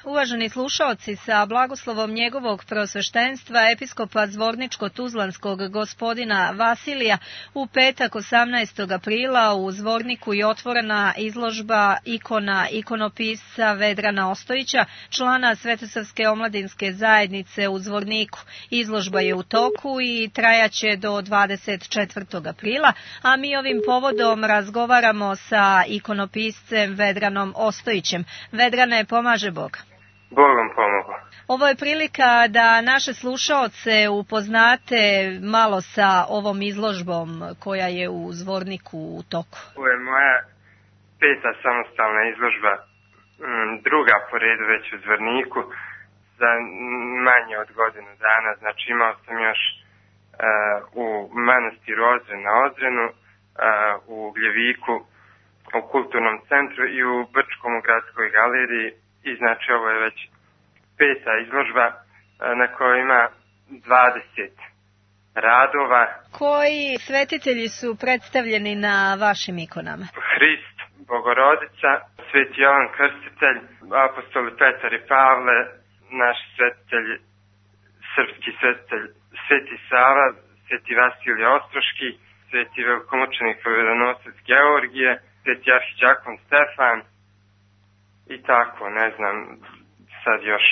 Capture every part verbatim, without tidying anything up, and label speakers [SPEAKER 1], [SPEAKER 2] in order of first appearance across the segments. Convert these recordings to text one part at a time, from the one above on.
[SPEAKER 1] Uvaženi slušaoci, sa blagoslovom njegovog preosveštenstva episkopa Zvorničko-Tuzlanskog gospodina Vasilija u petak osamnaestog aprila u Zvorniku je otvorena izložba ikona ikonopisca Vedrana Ostojića, člana Svetosavske omladinske zajednice u Zvorniku. Izložba je u toku i trajaće do dvadeset četvrtog aprila, a mi ovim povodom razgovaramo sa ikonopiscem Vedranom Ostojićem. Vedrane, pomaže Bog.
[SPEAKER 2] Bog vam pomogao.
[SPEAKER 1] Ovo je prilika da naše slušaoce upoznate malo sa ovom izložbom koja je u Zvorniku u toku.
[SPEAKER 2] Ovo je moja peta samostalna izložba, druga po redu već u Zvorniku, za manje od godinu dana. Znači imao sam još uh, u manastiru Ozren na Ozrenu, uh, u Ugljeviku, u kulturnom centru i u Brčkom u gradskoj galeriji. I znači ovo je već peta izložba na kojoj ima dvadeset radova.
[SPEAKER 1] Koji svetitelji su predstavljeni na vašim ikonama?
[SPEAKER 2] Hrist, Bogorodica, Sveti Jovan Krstitelj, apostoli Petar i Pavle, naš svetitelj, srpski svetitelj Sveti Sava, Sveti Vasilije Ostroški, Sveti velikomučenik Povedonosac Georgije, Sveti arhiđakon Stefan, i tako, ne znam, sad još.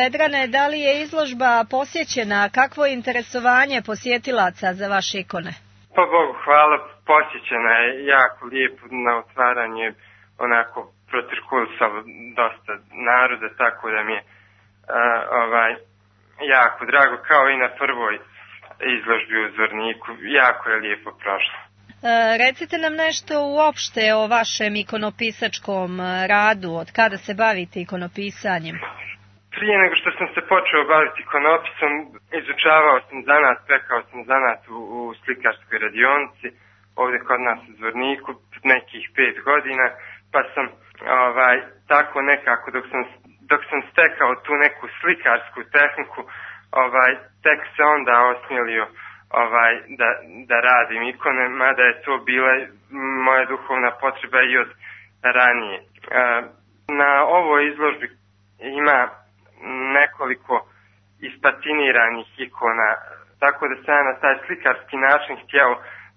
[SPEAKER 1] Vedrane, da li je izložba posjećena? Kakvo je interesovanje posjetilaca za vaše ikone?
[SPEAKER 2] Pa Bogu hvala, posjećena je jako lijepo, na otvaranje onako protirkulisalo dosta naroda, tako da mi je a, ovaj, jako drago, kao i na prvoj izložbi u Zvorniku, jako je lijepo prošlo.
[SPEAKER 1] Recite nam nešto uopšte o vašem ikonopisačkom radu, od kada se bavite ikonopisanjem?
[SPEAKER 2] Prije nego što sam se počeo baviti ikonopisom, izučavao sam zanat, pekao sam zanat u, u slikarskoj radionici, ovdje kod nas u Zvorniku, nekih pet godina, pa sam ovaj, tako nekako, dok sam, dok sam stekao tu neku slikarsku tehniku, ovaj, tek se onda osmjelio ovaj da, da radim ikone, mada je to bila moja duhovna potreba i od ranije. Na ovoj izložbi ima nekoliko ispatiniranih ikona, tako da sam ja na taj slikarski način htio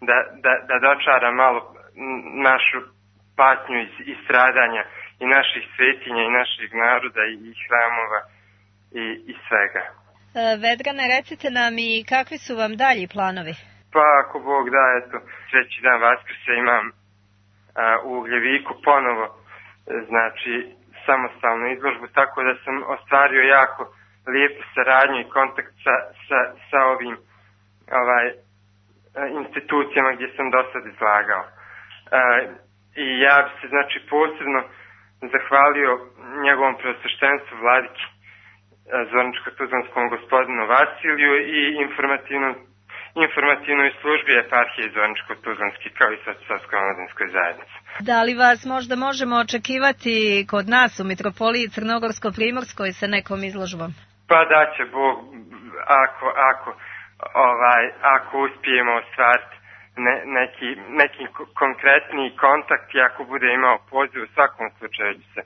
[SPEAKER 2] da, da, da dočara malo našu patnju i stradanja i naših svetinja i naših naroda i hramova i, i svega.
[SPEAKER 1] Vedrane, recite nam i kakvi su vam dalji planovi?
[SPEAKER 2] Pa ako Bog da, eto, treći dan Vaskrsa imam a, u Ugljeviku ponovo, znači, samostalnu izložbu, tako da sam ostvario jako lijepu saradnju i kontakt sa, sa, sa ovim ovaj, institucijama gdje sam do sad izlagao. A, I ja bi se, znači, posebno zahvalio njegovom preosveštenstvu Vladiki Zvorničko-Tuzlanskom gospodinu Vasiliju i informativnom, informativnoj službi eparhije Zvorničko-Tuzlanski kao i Svetosavskoj omladinskoj zajednici.
[SPEAKER 1] Da li vas možda možemo očekivati kod nas u Mitropoliji Crnogorsko-Primorskoj sa nekom izložbom?
[SPEAKER 2] Pa da će Bog, ako, ako, ovaj, ako uspijemo ostvariti ne, neki, neki konkretniji kontakt i ako bude imao poziv, u svakom slučaju će se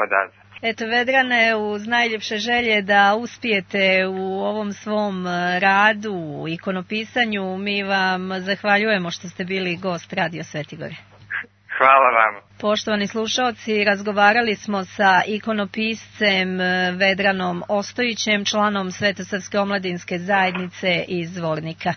[SPEAKER 2] odazvati.
[SPEAKER 1] Eto, Vedrane, uz najljepše želje da uspijete u ovom svom radu, u ikonopisanju, mi vam zahvaljujemo što ste bili gost Radio Svetigore.
[SPEAKER 2] Hvala vam.
[SPEAKER 1] Poštovani slušaoci, razgovarali smo sa ikonopiscem Vedranom Ostojićem, članom Svetosavske omladinske zajednice iz Zvornika.